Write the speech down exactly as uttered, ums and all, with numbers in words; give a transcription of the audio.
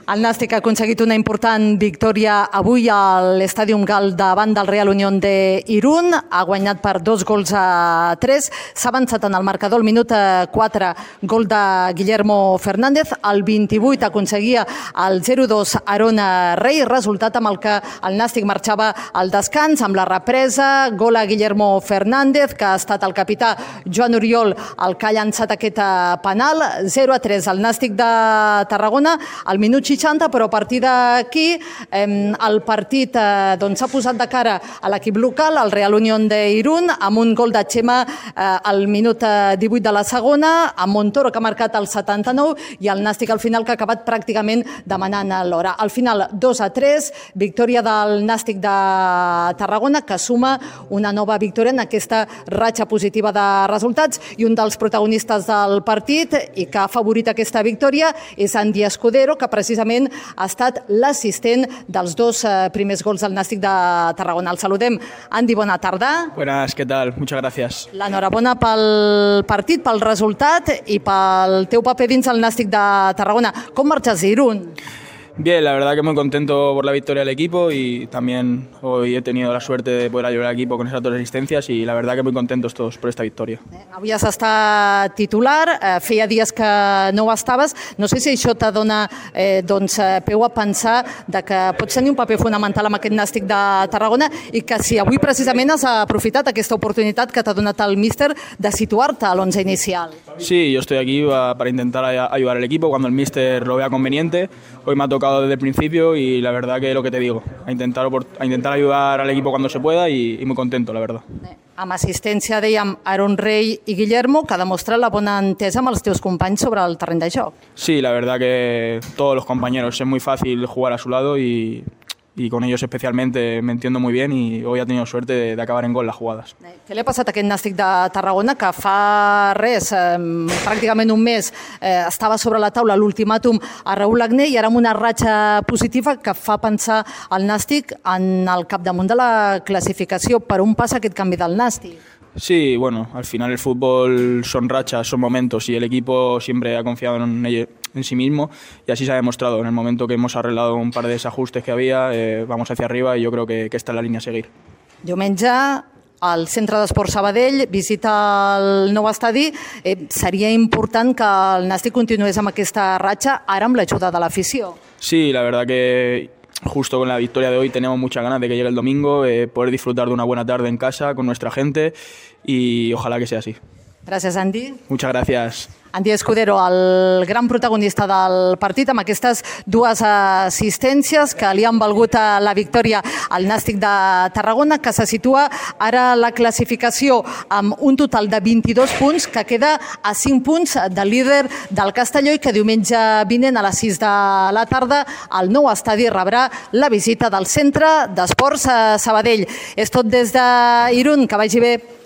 El Nàstic ha aconseguit una important victòria avui a l'Estàdium Gal davant del Real Unión de Irún. Ha guanyat per dos gols a tres. S'ha avançat en el marcador al minut quatre, gol de Guillermo Fernández. Al vint-i-vuit aconseguia el zero dos Aron Rey, resultat amb el que el Nàstic marxava al descans amb la represa. Gol a Guillermo Fernández, que ha estat el capità Joan Oriol el que ha llançat aquest penal. zero a tres al Nàstic de Tarragona al minut seixanta, però a partir d'aquí el partit s'ha posat de cara a l'equip local, el Real Unión de Irún, amb un gol de Chema al minut divuit de la segona, amb Montoro que ha marcat el setanta-nou i el Nàstic al final que ha acabat pràcticament demanant l'hora. Al final dos a tres, victòria del Nàstic de Tarragona que suma una nova victòria en aquesta ratxa positiva de resultats, i un dels protagonistes del partit i que ha favorit aquesta victòria és Andy Escudero, que precisament ha estat l'assistent dels dos primers gols del Nàstic de Tarragona. El saludem. Andy, bona tarda. Buenas, ¿qué tal? Muchas gracias. L'enhorabona pel partit, pel resultat i pel teu paper dins el Nàstic de Tarragona. Com marxes d'Irún? Bien, la verdad que muy contento por la victoria del equipo y también hoy he tenido la suerte de poder ayudar al equipo con esas dos asistencias y la verdad que muy contentos todos por esta victoria. Avui has estat titular, feia dies que no ho estaves. No sé si això te dona eh, doncs, peu a pensar de que pots tenir un paper fonamental amb aquest Nàstic de Tarragona i que si avui precisament has aprofitat aquesta oportunitat que t'ha donat el míster de situar-te a l'onze inicial. Sí, yo estoy aquí para intentar ayudar al equipo cuando el míster lo vea conveniente. Hoy me ha tocado desde el principio y la verdad que lo que te digo, a intentar, a intentar ayudar al equipo cuando se pueda y, y muy contento, la verdad. Amb assistència, dèiem, Aron Rey i Guillermo, que ha demostrat la bona entesa amb els teus companys sobre el terreny de joc. Sí, la verdad que todos los compañeros, es muy fácil jugar a su lado y... y con ellos especialmente me entiendo muy bien y hoy ha tenido suerte de, de acabar en gol las jugadas. Què li ha passat a aquest Nàstic de Tarragona que fa res, eh, pràcticament un mes, eh, estava sobre la taula l'ultimàtum a Raúl Agné i ara amb una ratxa positiva que fa pensar el Nàstic en el capdamunt de la classificació? Per on passa aquest canvi del Nàstic? Sí, bueno, al final el fútbol son rachas, son momentos y el equipo siempre ha confiado en, ello, en sí mismo y así se ha demostrado. En el momento que hemos arreglado un par de desajustes que había, eh, vamos hacia arriba y yo creo que, que esta es la línea a seguir. Diumenge, al Centre d'Esports Sabadell, visita el nou estadi. Eh, seria important que el Nàstic continués amb aquesta ratxa, ara amb l'ajuda de l'afició. Sí, la verdad que justo con la victoria de hoy tenemos muchas ganas de que llegue el domingo, eh, poder disfrutar de una buena tarde en casa con nuestra gente y ojalá que sea así. Gràcies, Andy. Muchas gracias. Andy Escudero, el gran protagonista del partit, amb aquestes dues assistències que li han valgut la victòria al Nàstic de Tarragona, que se situa ara la classificació amb un total de vint-i-dos punts, que queda a cinc punts del líder del Castelló i que diumenge vinent a les sis de la tarda al nou estadi rebrà la visita del Centre d'Esports Sabadell. És tot des d'Irún, que vagi bé.